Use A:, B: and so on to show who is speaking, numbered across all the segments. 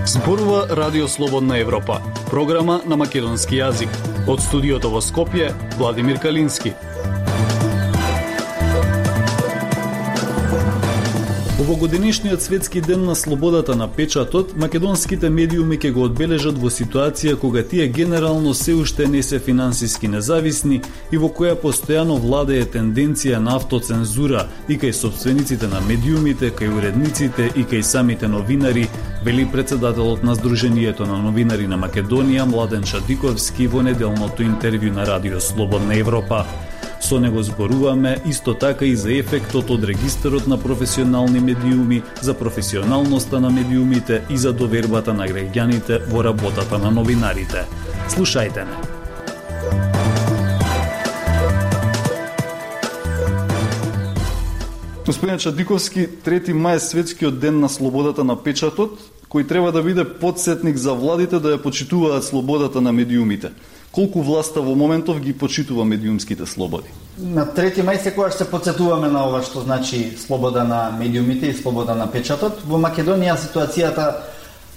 A: Зборува Радио Слободна Европа, програма на македонски јазик. Од студиото во Скопје, Владимир Калински. Овогодинешниот светски ден на слободата на печатот, македонските медиуми ќе го одбележат во ситуација кога тие генерално се уште не се финансиски независни и во која постојано владее тенденција на автоцензура и кај собствениците на медиумите, кај уредниците и кај самите новинари, вели председателот на Сдруженијето на новинари на Македонија Младен Шадиковски во неделното интервју на Радио Слободна Европа. Со него зборуваме исто така и за ефектот од регистарот на професионални медиуми, за професионалноста на медиумите и за довербата на граѓаните во работата на новинарите. Слушајте не. Господин Шадиковски, 3 мај е светскиот ден на слободата на печатот, кој треба да биде потсетник за владите да ја почитуваат слободата на медиумите. Колку власта во моментов ги почитува медиумските слободи?
B: На 3 мај секогаш се потсетуваме на ова што значи слобода на медиумите и слобода на печатот. Во Македонија ситуацијата,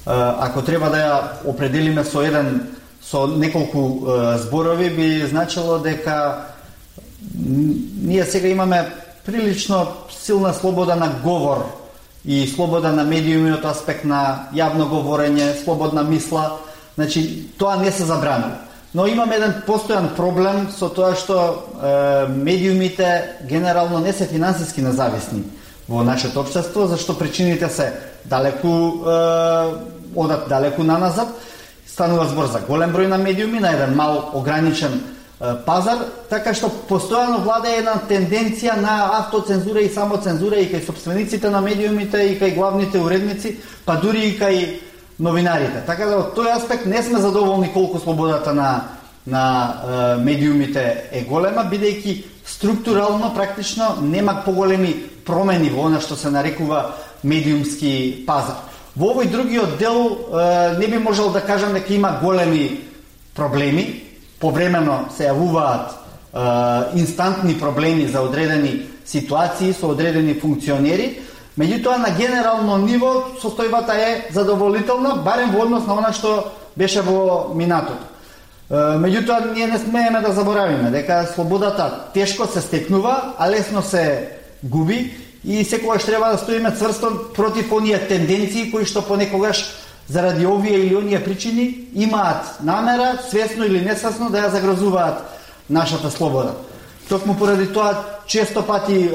B: ако треба да ја определиме со неколку зборови, би значило дека ние сега имаме прилично силна слобода на говор и слобода на медиуми од аспект на јавно говорење, слободна мисла. Значи, тоа не се забранува. Но имаме еден постојан проблем со тоа што медиумите генерално не се финансиски независни во нашето општество, зашто причините се одат далеку наназад. Станува збор за голем број на медиуми на еден мал ограничен пазар, така што постојано владее една тенденција на автоцензура и самоцензура и кај собствениците на медиумите и кај главните уредници, па дури и кај новинарите. Така да од тој аспект не сме задоволни колку слободата на медиумите е голема, бидејќи структурално практично нема поголеми промени во она што се нарекува медиумски пазар. Во овој другиот дел не би можел да кажам дека има големи проблеми. Повремено се јавуваат инстантни проблеми за одредени ситуации со одредени функционери. Меѓутоа, на генерално ниво, состојбата е задоволителна, барем во однос на она што беше во минатото. Меѓутоа, ние не смееме да заборавиме дека слободата тешко се стекнува, а лесно се губи и секогаш треба да стоиме цврсто против оние тенденции кои што понекогаш заради овие или оние причини имаат намера, свесно или несвесно, да ја загрозуваат нашата слобода. Токму поради тоа често пати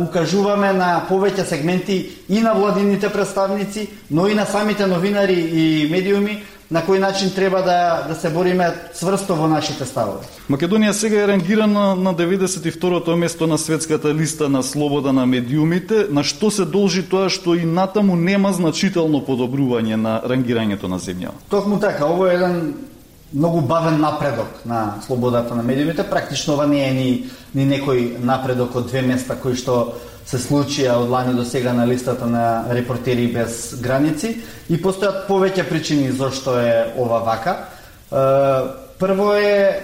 B: укажуваме на повеќе сегменти и на владините представници, но и на самите новинари и медиуми на кој начин треба да се бориме цврсто во нашите ставови.
A: Македонија сега е рангирана на 92-то место на светската листа на слобода на медиумите. На што се должи тоа што и натаму нема значително подобрување на рангирањето на земјава?
B: Токму така, ово е еден многу бавен напредок на слободата на медиумите. Практично ова не е ни некој напредок од 2 места кои што се случија од лани до сега на листата на Репортери без граници и постојат повеќе причини зашто е ова вака. Прво е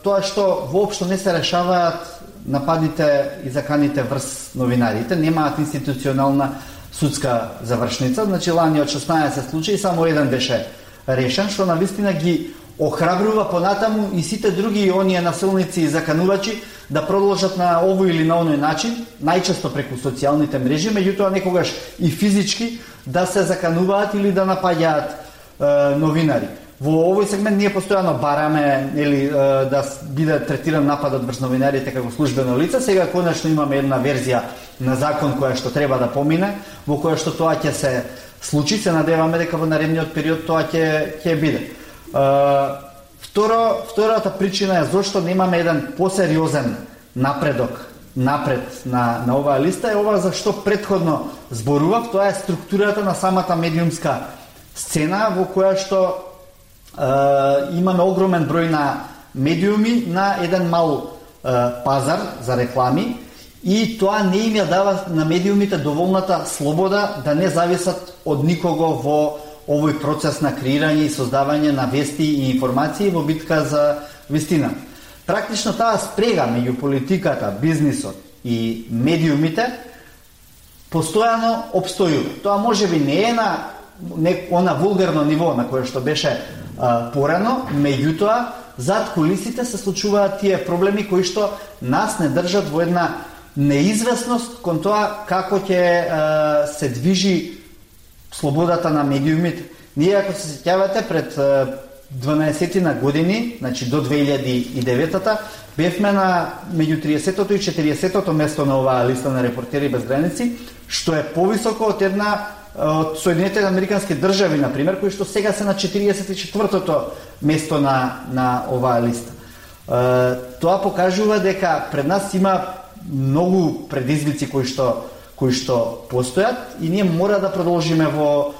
B: тоа што воопшто не се решаваат нападите и заканите врз новинарите, немаат институционална судска завршница. Значи лани од 16 случаи само еден беше решен, што навистина ги охрабрува понатаму и сите други оние насилници и заканувачи да продолжат на овој или на оној начин, најчесто преку социјалните мрежи, меѓутоа некогаш и физички да се закануваат или да напаѓаат новинари. Во овој сегмент ние постојано бараме да биде третиран нападот врз новинарите како службено лице. Сега конечно имаме една верзија на закон која што треба да помине, во која што тоа ќе се случи. Се надеваме дека во наредниот период тоа ќе биде. Втората причина е зашто немаме еден посериозен напредок напред на оваа листа е ова за што претходно зборував, тоа е структурата на самата медиумска сцена во која што имаме огромен број на медиуми на еден мал пазар за реклами и тоа не им ја дава на медиумите доволната слобода да не зависат од никого во овој процес на креирање и создавање на вести и информации во битка за вистина. Практично таа спрега меѓу политиката, бизнисот и медиумите постојано обстојува. Тоа можеби не е на она вулгарно ниво на кое што беше порано, меѓутоа зад кулисите се случуваат тие проблеми кои што нас не држат во една неизвестност кон тоа како ќе се движи слободата на медиумите. Ние, ако се сеќавате, пред 12 на години, значи до 2009-та, бевме на меѓу 30-тото и 40-тото место на оваа листа на Репортери без граници, што е повисоко од една од Соединетите американски држави, например, кои што сега се на 44-тото место на оваа листа. Тоа покажува дека пред нас има многу предизвици кои што постојат и ние мора да продолжиме во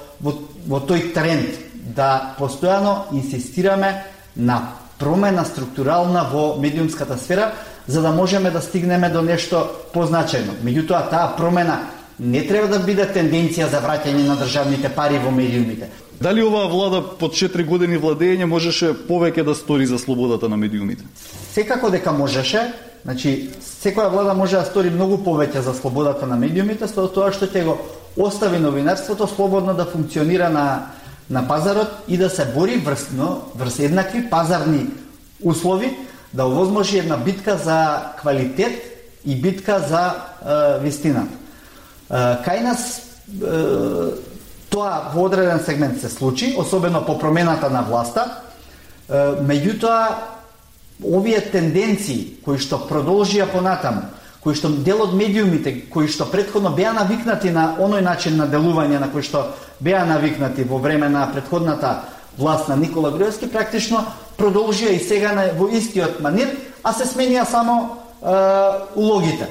B: тој тренд, да постојано инсистираме на промена структурална во медиумската сфера, за да можеме да стигнеме до нешто позначајно. Меѓутоа, таа промена не треба да биде тенденција за враќање на државните пари во медиумите.
A: Дали оваа влада под 4 години владење можеше повеќе да стори за слободата на медиумите?
B: Секако дека можеше. Значи, секоја влада може да стори многу повеќе за слободата на медиумите, со тоа што ќе го остави новинарството слободно да функционира на пазарот и да се бори врз еднакви пазарни услови, да овозможи една битка за квалитет и битка за вистината. Кај нас тоа во одреден сегмент се случи, особено по промената на власта, меѓутоа овие тенденции кои што продолжија понатаму, кои што дел од медиумите, кои што претходно беа навикнати на оној начин на делување на кој што беа навикнати во време на претходната власт на Никола Груевски, практично продолжија и сега во истиот манир, а се сменија само улогите.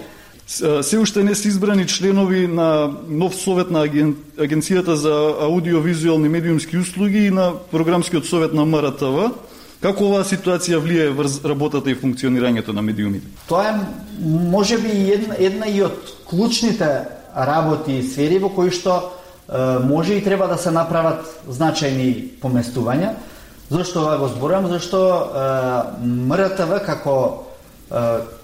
A: Се уште не се избрани членови на нов совет на Агенцијата за аудиовизуелни медиумски услуги и на програмскиот совет на МРТВ. Како оваа ситуација влие врз работата и функционирањето на медиумите?
B: Тоа е можеби една и од клучните работи и сфери во кои што може и треба да се направат значајни поместувања. Зошто ова го зборувам? Зашто МРТВ како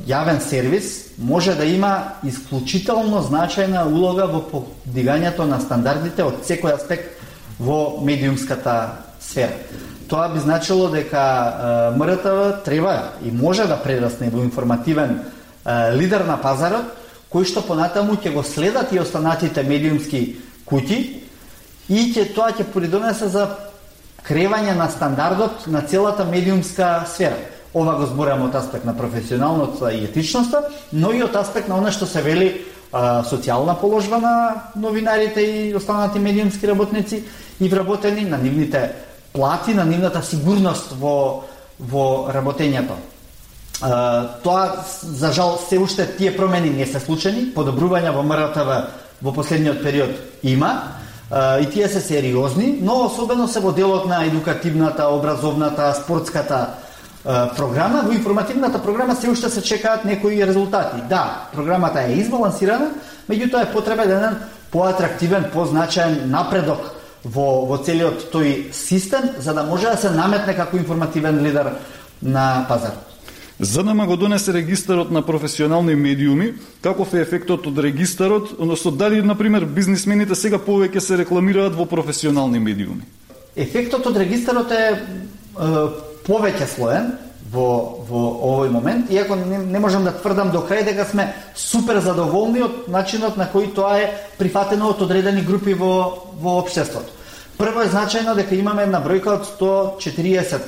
B: јавен сервис може да има исклучително значајна улога во подигањето на стандардите од секој аспект во медиумската сфера. Тоа би значило дека МРТВ треба и може да прерасне во информативен лидер на пазарот, кој што понатаму ќе го следат и останатите медиумски куќи и тоа ќе придонесе за кревање на стандардот на целата медиумска сфера. Ова го зборам од аспект на професионалноста и етичноста, но и од аспект на она што се вели социјална положба на новинарите и останати медиумски работници и вработени на нивните плати, на нивната сигурност во работењето. Тоа, за жал, се уште тие промени не се случени, подобрувања во МРТВ во последниот период има, и тие се сериозни, но особено се во делот на едукативната, образовната, спортската програма. Во информативната програма се уште се чекаат некои резултати. Да, програмата е избалансирана, меѓутоа е потребен еден поатрактивен, позначаен напредок во целиот тој систем, за да може да се наметне како информативен лидер на пазарот.
A: ЗНМ го донесе регистарот на професионални медиуми. Каков е ефектот од регистарот, односно дали, например, бизнисмените сега повеќе се рекламираат во професионални медиуми?
B: Ефектот од регистарот е повеќе слоен во овој момент, иако не можам да тврдам до крај дека сме супер задоволни од начинот на кој тоа е прифатено од одредени групи во општеството. Прво е значајно дека имаме една бројка од 140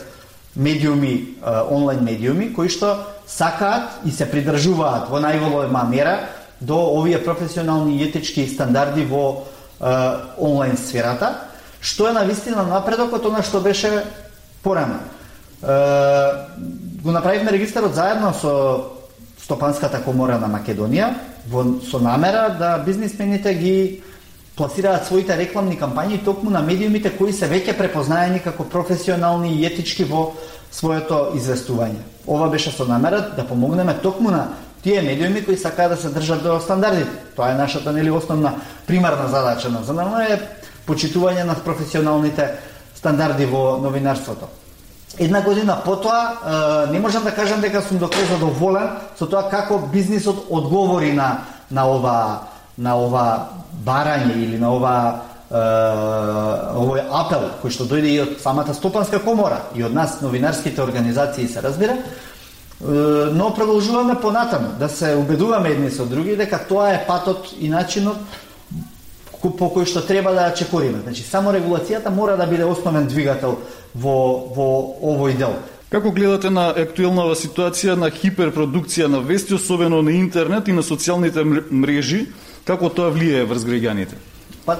B: медиуми, онлайн медиуми, кои што сакаат и се придржуваат во најголема мера до овие професионални и етички стандарди во онлайн сферата, што е навистина напредок од она што беше порано. Го направивме регистарот заедно со Стопанската комора на Македонија со намера да бизнисмените ги пласираат своите рекламни кампањи токму на медиумите кои се веќе препознаени како професионални и етички во своето известување. Ова беше со намера да помогнеме токму на тие медиуми кои сакаат да се држат до стандардите. Тоа е нашата основна примарна задача на е почитување на професионалните стандарди во новинарството. една година потоа не можам да кажам дека сум до крај задоволен со тоа како бизнисот одговори на ова барање или на овој апел кој што дојде и од самата Стопанска комора и од нас новинарските организации се разбира, но продолжуваме понатаму да се убедуваме едни со други дека тоа е патот и начинот по кој што треба да ја чекориме. Значи, само регулацијата мора да биде основен двигател во овој дел.
A: Како гледате на актуелнава ситуација на хиперпродукција на вести, особено на интернет и на социјалните мрежи, како тоа влијае врз граѓаните?
B: Па,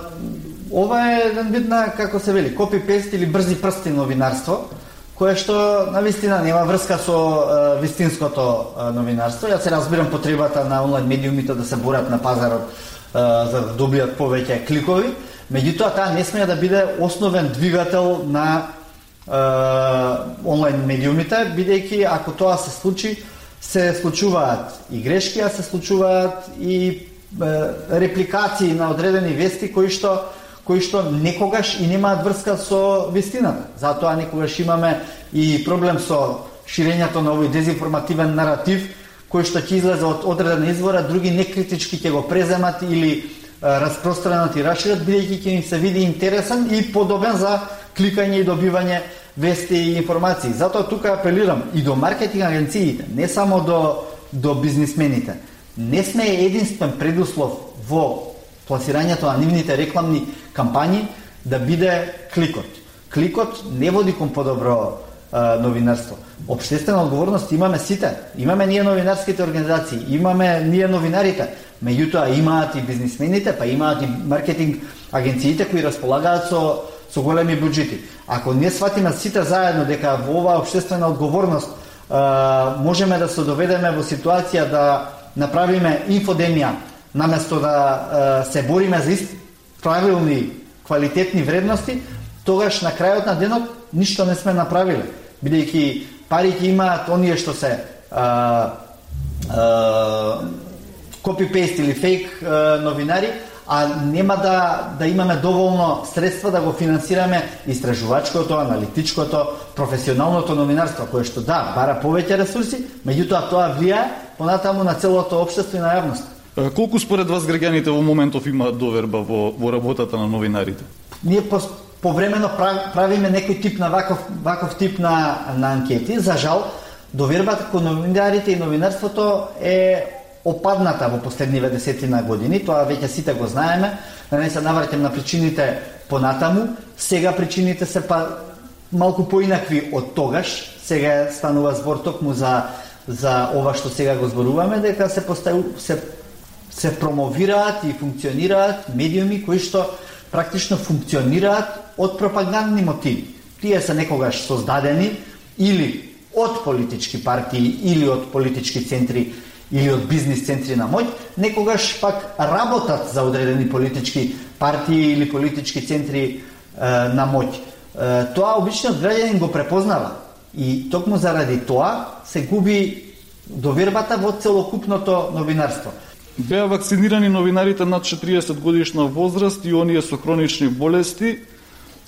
B: ова е еден вид на, како се вели, копи-пест или брзи прсти новинарство, кое што навистина нема врска со вистинското новинарство. Јас се разбирам потребата на онлайн медиумите да се борат на пазарот за да добијат повеќе кликови, меѓутоа таа не смее да биде основен двигател на онлайн медиумите, бидејќи ако тоа се случи, се случуваат и грешки, а се случуваат и репликации на одредени вести кои што некогаш и немаат врска со вистината. Затоа некогаш имаме и проблем со ширењето на овој дезинформативен наратив кој што ќе излезе од одредена извора, други некритички ќе го преземат или распространат и расшират, бидејќи ќе им се види интересен и подобен за кликање и добивање вести и информации. Затоа тука апелирам и до маркетинг агенциите, не само до бизнисмените. Не сме единствен предуслов во пласирањето на нивните рекламни кампањи да биде кликот. Кликот не води кон подобро новинарство. Општествена одговорност имаме сите. Имаме ние новинарските организации, имаме ние новинарите, меѓутоа имаат и бизнисмените, па имаат и маркетинг агенциите кои располагаат со големи буџети. Ако не сватиме сите заедно дека во оваа општествена одговорност можеме да се доведеме во ситуација да направиме инфодемија, наместо да се бориме за правилни, квалитетни вредности, тогаш на крајот на денот ништо не сме направиле. Бидејќи пари ќе имаат оние што се копи-пейст или фейк новинари, а нема да имаме доволно средства да го финансираме истражувачкото, аналитичкото, професионалното новинарство, кое што бара повеќе ресурси, меѓутоа тоа влијае понатаму на целото општество и на јавност.
A: Колку според вас граѓаните во моментов имаат доверба во работата на новинарите?
B: Ние повремено правиме некој тип на ваков тип на анкети. За жал, довербата кон новинарите и новинарството е опадната во последниве десетина години. Тоа веќе сите го знаеме. Да не се навраќам на причините понатаму. Сега причините се малку поинакви од тогаш. Сега станува збор токму за ова што сега го зборуваме, дека се промовираат и функционираат медиуми кои што практично функционираат од пропагандни мотиви. Тие се некогаш создадени или од политички партии, или од политички центри, или од бизнис центри на моќ, некогаш пак работат за одредени политички партии или политички центри на моќ. Тоа обичниот граѓанин го препознава и токму заради тоа се губи довербата во целокупното новинарство.
A: Беа вакцинирани новинарите над 40 годишна возраст и оние со хронични болести.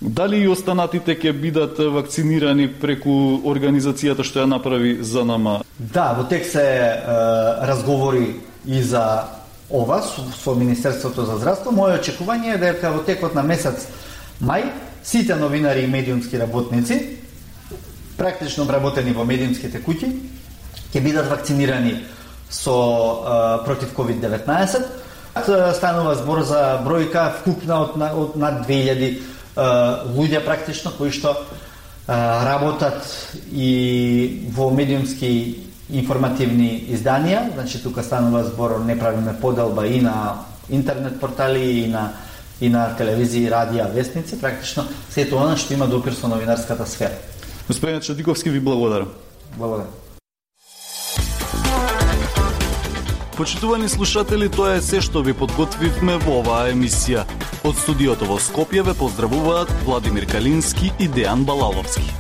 A: Дали и останатите ќе бидат вакцинирани преку организацијата што ја направи ЗНМ?
B: Да, во тек се разговори и за ова со Министерството за здравство. Моје очекување е дека во текот на месец мај сите новинари и медиумски работници, практично вработени во медиумските куќи, ќе бидат вакцинирани против COVID-19. Станува збор за бројка вкупна од над 2000 луѓе практично кои што работат и во медиумски информативни изданија. Значи тука станува збор, не правиме поделба и на интернет портали и на телевизија, радија, вестници, практично сето она што има допир со новинарската сфера.
A: Господин Чадиковски, ви благодарам.
B: Благодарам.
A: Почитувани слушатели, тоа е се што ви подготвивме во оваа емисија. Од студиото во Скопје ве поздравуваат Владимир Калински и Дејан Балаловски.